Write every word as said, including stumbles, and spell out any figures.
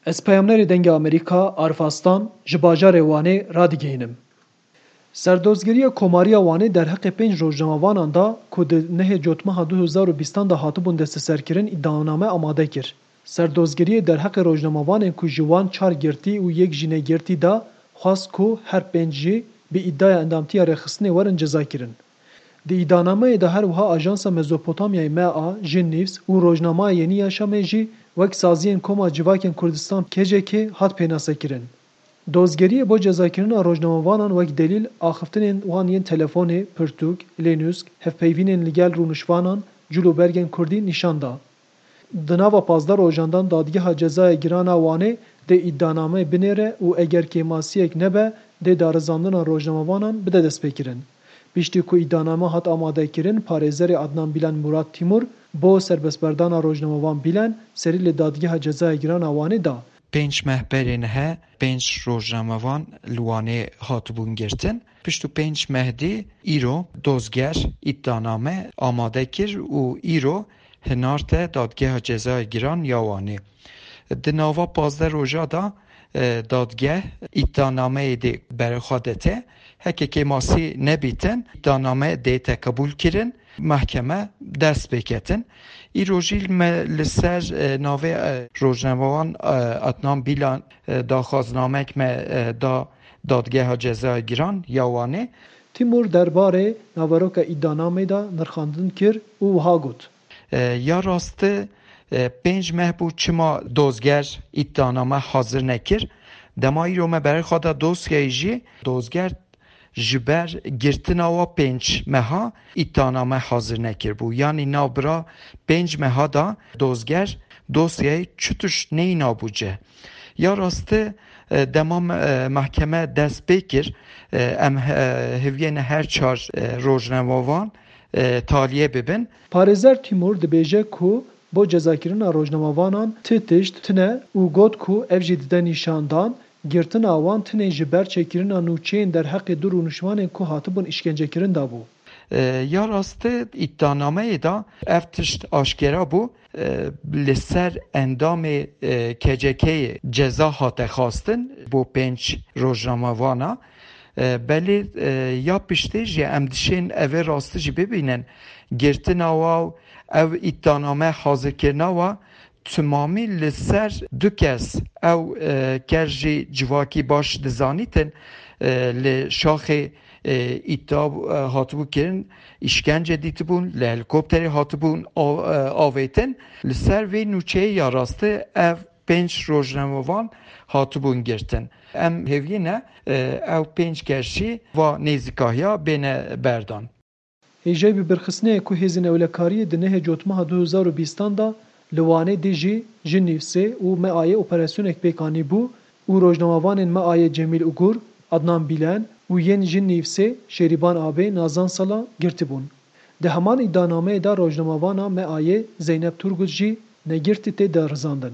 Ez peyamnerê Dengê Amerîka, Arif Aslan, ji bajarê Wanê radigihînim. Serdozgeriya Komariya Wanê derheqê pênc rojnamevanan da ku di nehê Cotmeha du hezar û bîstan de hatibûn desteserkirin îdianame amade kir. Serdozgeriyê derheqê rojnamevanên ku ji wan çar girtî û yek jî negirtî da, xwest ku her pênc jî bi îdiaya endamtiya rêxistinê werin cezakirin. Di îdianameyê de her wiha Ajansa Mezopotamyayê M A, Jin News û Rojnameya Yenî Yaşamê jî wek saziyên Koma Civakên Kurdistan, K C K, hat pênasekirin. Dozgeriyê bo cezakirina rojnamevanan wek delîl axiftinên wan yên telefonê, pirtûk, lênûsk, hevpeyvînên li gel rûniştvanan, cil û bergên kurdî nîşan da. Di nava pazdeh rojan de Dadgeha Cezaya Giran a Wanê dê îdianameyê binêre û eger kêmasiyek nebe, dê darizandina rojnamevanan bide destpêkirin. Piştî ku îdianame hat amadekirin, parêzerê Adnan Bîlan Murat Tîmur bo serbestberdana rojnamevan Bîlan serî li Dadgeha Cezaya Giran a Wanê da. Pênc meh berê nihe pênc rojnamevan li Wanê hatibûn girtin. Pişt û pênc meh dî îro dozger îdianame amade kir û îro hinarte Dadgeha Cezaya Giran ya Wanê. Di nava pazdeh roja de, e, dadgeh îdianameyê dê berê xwe dete. Heke kêmasî nebîtin, îdianame dê teqebûl kirin, mehkeme dest pê ketin. Îro jî me li ser, e, navê, e, rojnamevan, e, Adnan Bîlan, e, daxwaznamek me, e, da Dadgeha Cezaya Giran ya Wanê. Tîmur derbarê naveroka îdianamê de nirxandin kir û wiha got. E, ya rastî, e, pênc meh bû çima dozger îdianame hazir nekir. Dema îro me berê xwe da dosyayê jî, dozger ji ber girtina wa pênc meha îdianame hazir nekiribû. Yanî navbira pênc meha da dozger dosyayê çi tişt neyna bû cih. Ya rastî, e, dema me, e, mehkeme dest pê kir, e, em, e, hêviyê ne her çar, e, rojnamevan, e, taliyê bibin. Parêzer Tîmur dibêje ku bo cezakirina rojnamevanan ti tişt tine û got ku ev jî dide nîşandan, girtina wan tinê ji ber çêkirina nûçeyên derheqê du rûnişvanên ku hatibûn îşkencekirin de bû. E, ya rastî îdianameyê de ev tişt aşkera bû, e, li ser endamê, e, K C K'yê ceza hate xwestin bo pênc rojnamevana. E, belê, e, ya piştê jî em dişên evê rastî jî bibînin. Girtina wa û ev îdianame hazirkirina wa timamî li ser du kes, ew, e, kes jî civakî baş dizanîtin, e, li şaxê, e, îdia, e, hatibû kirin, îşkence dîtibûn, li helîkopterê hatibûn av-, e, avêtin. Li ser vê nûçeyê ya rastî ev pênc rojnamevan hatibûn girtin. Em hêviyê ne, e, ew pênc kes jî va nêzîkahiya bêne berdan. Hêjayî bi birxistinê ye ku hêzên ewlekariyê di nehê Cotmeha du hezar û bîstan de li Wanê dijî Jin Nîvsê û M A'yê operasyonek pêk anîbû û rojnamevanên M A'yê Cemîl Ugur, Adnan Bîlen û yên Jin Nîvsê Şêrîban Abê, Nazan Sala girtibûn. Di heman îdianameyê de rojnamevana M A'yê Zeynep Turgut jî negirtî tê darizandin.